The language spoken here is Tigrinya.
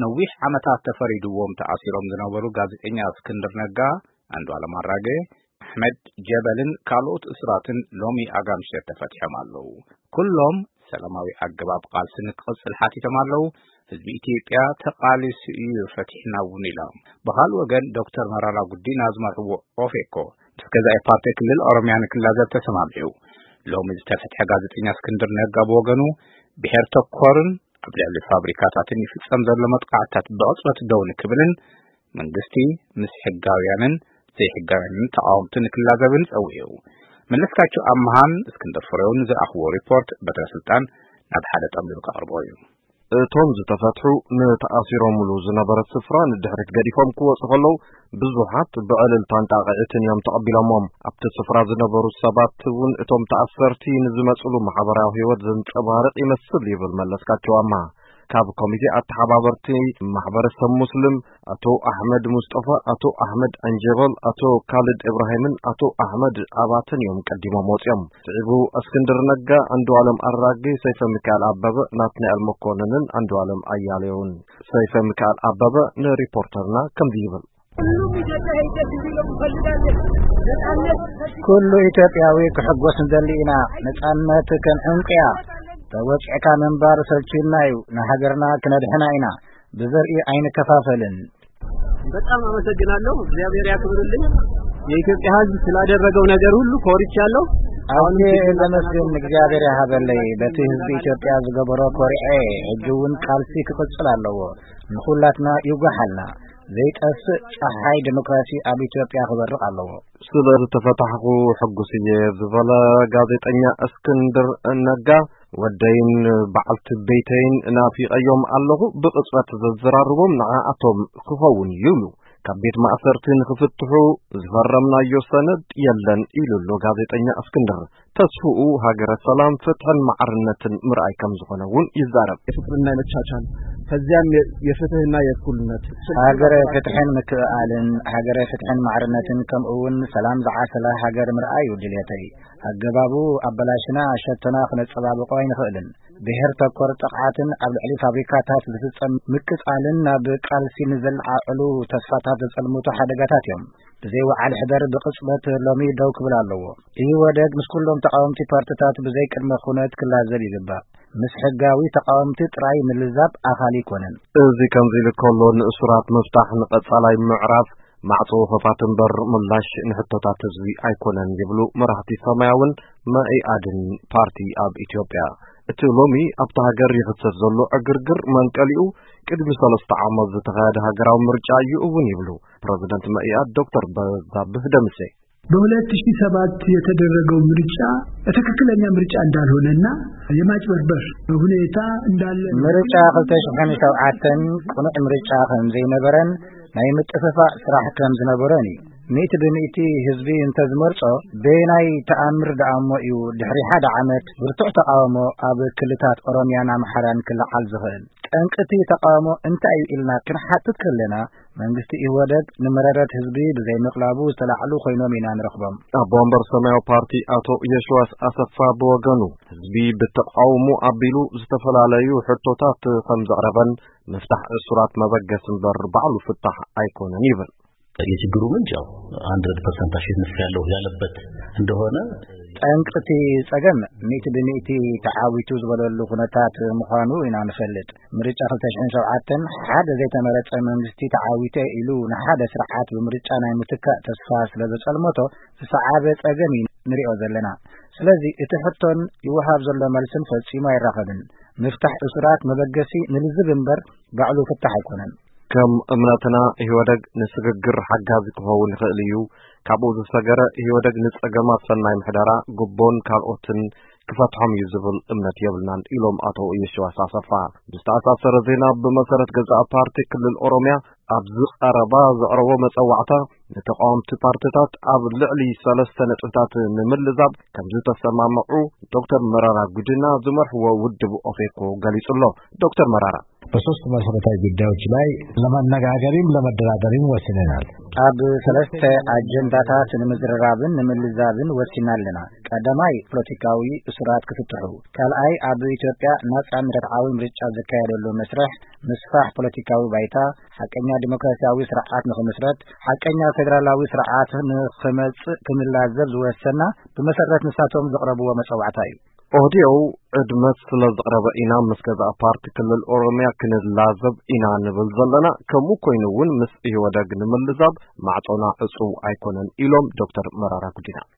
ነዊሕ ዓመታት ተፈሪድዎም ተኣሲሮም ዝነበሩ ጋዜጠኛ እስክንድር ነጋ፣ ኣንዱዓለም ኣራጌ፣ ኣሕመድ ጀበልን ካልኦት እሱራትን ሎሚ ኣጋምሸት ተፈቲሖም ኣለዉ። ኩሎም ሰላማዊ ኣገባብ ቃልሲ ንክቕጽል ሓቲቶም ኣለዉ። ህዝቢ ኢትዮጵያ ተቓሊሱ እዩ ፈቲሕና እውን ኢሎም። ብኻልእ ወገን ዶክተር መራራ ጉዲና ዝመርሕዎ ኦፌኮ ምስ ገዛኢ ፓርቲ ክልል ኦሮሚያ ንክላዘብ ተሰማሚዑ። ሎሚ ዝተፈትሐ ጋዜጠኛ እስክንድር ነጋ ብወገኑ ብሔር ተኮርን ኣብ ልዕሊ ፋብሪካታትን ይፍጸም ዘሎ መጥቃዕትታት ብቕጽበት ደው ንክብልን መንግስቲ ምስ ሕጋውያንን ዘይሕጋውያንን ተቓወምቲ ንክላዘብን ጸዊዑ። መለስካቸው ኣምሃን እስክንድር ፍሬውን ዝኣኽቦ ሪፖርት በትረ ስልጣን ናብ ሓደ ጠምሊሉ ከቕርቦ እዩ። እቶም ዝተፈትሑ ንተኣሲሮምሉ ዝነበረ ስፍራ ንድሕሪት ገዲፎም ክወጹ ከለዉ ብዙሓት ብዕልልታን ጣቕዒትን እዮም ተቐቢሎሞም። ኣብቲ ስፍራ ዝነበሩ ሰባት እውን እቶም ተኣሰርቲ ንዝመጽሉ ማሕበራዊ ህይወት ዘንጸባርቕ ይመስል ይብል መለስካቸው ኣምሃ። ካብ ኮሚቴ ኣተሓባበርቲ ማሕበረሰብ ሙስሊም ኣቶ ኣሕመድ ሙስጠፋ፣ ኣቶ ኣሕመድ ዕንጀበል፣ ኣቶ ካልድ እብራሂምን ኣቶ ኣሕመድ ኣባተን እዮም ቀዲሞም ወፂኦም። ስዒቡ እስክንድር ነጋ፣ ኣንዱዓለም ኣራጌ፣ ሰይፈ ሚካኤል ኣበበ፣ ናትናኤል መኮንንን ኣንዱዓለም ኣያሌውን። ሰይፈ ሚካኤል ኣበበ ንሪፖርተርና ከምዚ ይብል። ኩሉ ኢትዮጵያዊ ክሕጎስ ንደሊ ኢና። ነጻነት ከም ዕንቁያ ተወቂዕካ ምንባር ሰልችዩና እዩ። ንሃገርና ክነድሕና ኢና። ብዘርኢ ኣይንከፋፈልን። በጣም አመሰግናለሁ። እግዚአብሔር ያክብርልኝ። የኢትዮጵያ ሕዝብ ስላደረገው ነገር ሁሉ ኮርቻለሁ። አሁን አሁን ለመስገን እግዚአብሔር ያሃበለይ በቲ ህዝቢ ኢትዮጵያ ዝገበሮ ኮርዐ ሕጂ እውን ቃልሲ ክቅጽል ኣለዎ። ንኹላትና ይውጋሓልና። ዘይጠፍእ ጸሓይ ዲሞክራሲ ኣብ ኢትዮጵያ ክበርቕ ኣለዎ። ስለ ዝተፈታሕኹ ሕጉስ እየ ዝበለ ጋዜጠኛ እስክንድር ነጋ፣ ወደይን በዓልቲ ቤተይን ናፊቀዮም ኣለኹ። ብቕጽበት ዘዘራርቦም ንዓኣቶም ክኸውን እዩ ይብሉ። ካብ ቤት ማእሰርቲ ንኽፍትሑ ዝፈረምናዮ ሰነድ የለን ኢሉ ኣሎ ጋዜጠኛ እስክንድር። ተስፍኡ ሃገረ ሰላም፣ ፍትሕን ማዕርነትን ምርኣይ ከም ዝኾነ እውን ይዛረብ። የፍቅርና የመቻቻል ከዚያም የፍትህና የእኩልነት ሃገረ ፍትሕን ምክእኣልን፣ ሃገረ ፍትሕን ማዕርነትን ከምኡ እውን ሰላም ዝዓሰላ ሃገር ምርኣይ እዩ ድልየተይ። ኣገባቡ ኣበላሽና ሸቶና ክነጸባብቆ ኣይንኽእልን። ብሔር ተኮር ጥቕዓትን ኣብ ልዕሊ ፋብሪካታት ዝፍጸም ምቅጻልን ናብ ቃልሲ ንዘለዓዕሉ ተስፋታት ዘጸልምቱ ሓደጋታት እዮም። ብዘይ ወዓል ሕደር ብቕጽበት ሎሚ ደው ክብል ኣለዎ። ኢህወደግ ምስ ኩሎም ተቓወምቲ ፓርትታት ብዘይ ቅድመ ኩነት ክላዘብ ይግባእ። ምስ ሕጋዊ ተቓወምቲ ጥራይ ምልዛብ ኣኻሊ ኣይኮነን። እዚ ከምዚ ኢሉ ከሎ ንእሱራት ምፍታሕ ንቐጻላይ ምዕራፍ ማዕጾ ኸፋት እምበር ምላሽ ንሕቶታት ህዝቢ ኣይኮነን ይብሉ መራሕቲ ሰማያውን መኢኣድን ፓርቲ ኣብ ኢትዮጵያ። እቲ ሎሚ ኣብታ ሃገር ይኽሰት ዘሎ ዕግርግር መንቀሊኡ ቅድሚ ሰለስተ ዓመት ዝተኻየደ ሃገራዊ ምርጫ እዩ እውን ይብሉ ፕረዚደንት መኢኣድ ዶክተር በዛብህ ደምሴ። በሁለት ሺህ ሰባት የተደረገው ምርጫ ትክክለኛ ምርጫ እንዳልሆነና የማጭበርበር ሁኔታ እንዳለ ምርጫ ክልተ ሽሕን ሸውዓተን ቅኑዕ ምርጫ ከም ዘይነበረን ናይ ምጥፍፋእ ስራሕ ከም ዝነበረን እዩ። ሚእቲ ብሚእቲ ህዝቢ እንተዝመርጾ በየናይ ተኣምር ደኣሞ እዩ ድሕሪ ሓደ ዓመት ብርቱዕ ተቓውሞ ኣብ ክልታት ኦሮሚያን ኣምሓራን ክለዓል ዝኽእል? ጠንቅቲ ተቓውሞ እንታይ እዩ ኢልና ክንሓትት ከለና መንግስቲ ኢህወደግ ንመረረት ህዝቢ ብዘይምቕላቡ ዝተላዕሉ ኮይኖም ኢና ንረኽቦም። ኣቦ ወንበር ሰማያዊ ፓርቲ ኣቶ የሽዋስ ኣሰፋ ብወገኑ ህዝቢ ብተቓውሞ ኣቢሉ ዝተፈላለዩ ሕቶታት ከም ዘቕረበን ምፍታሕ እሱራት መበገሲ እምበር ባዕሉ ፍታሕ ኣይኮነን ይብል። የችግሩ ምንጭ ያው ሀንድረድ ፐርሰንት አሸንፍ ያለው ያለበት እንደሆነ ጠንቅቲ ጸገም ሚእቲ ብሚእቲ ተዓዊቱ ዝበለሉ ኩነታት ምዃኑ ኢና ንፈልጥ። ምርጫ ክልተ ሽሕን ሸውዓተን ሓደ ዘይተመረጸ መንግስቲ ተዓዊተ ኢሉ ንሓደ ስርዓት ብምርጫ ናይ ምትካእ ተስፋ ስለ ዘጸልመቶ ዝሰዓበ ጸገም እዩ ንሪኦ ዘለና። ስለዚ እቲ ሕቶን ይወሃብ ዘሎ መልስን ፈጺሙ ኣይራኸብን። ምፍታሕ እሱራት መበገሲ ንልዝብ እምበር ባዕሉ ፍታሕ ኣይኮነን። ከም እምነትና ኢህወደግ ንስግግር ሓጋዚ ክኸውን ይኽእል እዩ። ካብኡ ዝሰገረ ኢህወደግ ንጸገማት ሰናይ ምሕደራ፣ ጉቦን ካልኦትን ክፈትሖም እዩ ዝብል እምነት የብልናን ኢሎም ኣቶ የሺዋስ ኣሰፋ። ብዝተኣሳሰረ ዜና ብመሰረት ገዛኢ ፓርቲ ክልል ኦሮሚያ ኣብዚ ቀረባ ዘቕረቦ መጸዋዕታ ንተቓወምቲ ፓርትታት ኣብ ልዕሊ ሰለስተ ነጥብታት ንምልዛብ ከም ዝተሰማምዑ ዶክተር መራራ ጉዲና ዝመርሕዎ ውድብ ኦፌኮ ገሊጹ ኣሎ። ዶክተር መራራ በሶስት መሰረታዊ ጉዳዮች ላይ ለመነጋገርም ለመደራደርም ወስነናል። ኣብ ሰለስተ ኣጀንዳታት ንምዝርራብን ንምልዛብን ወሲና ኣለና። ቀዳማይ፣ ፖለቲካዊ እሱራት ክፍትሑ፣ ካልኣይ፣ ኣብ ኢትዮጵያ ናጻን ርትዓዊ ምርጫ ዝካየደሉ መስርሕ ምስፋሕ ፖለቲካዊ ባይታ፣ ሓቀኛ ዲሞክራሲያዊ ስርዓት ንኽምስረት፣ ሓቀኛ ፌደራላዊ ስርዓት ንኽመጽእ ክንላዘብ ዝወሰና፣ ብመሰረት ንሳቶም ዘቕረብዎ መጸዋዕታ እዩ። ኦህዴው ዕድመት ስለ ዘቕረበ ኢና ምስ ገዛእ ፓርቲ ክልል ኦሮምያ ክንላዘብ ኢና ንብል ዘለና። ከምኡ ኮይኑ እውን ምስ ኢህወደግ ንምልዛብ ማዕጾና ዕጹው ኣይኮነን ኢሎም ዶክተር መራራ ጉዲና።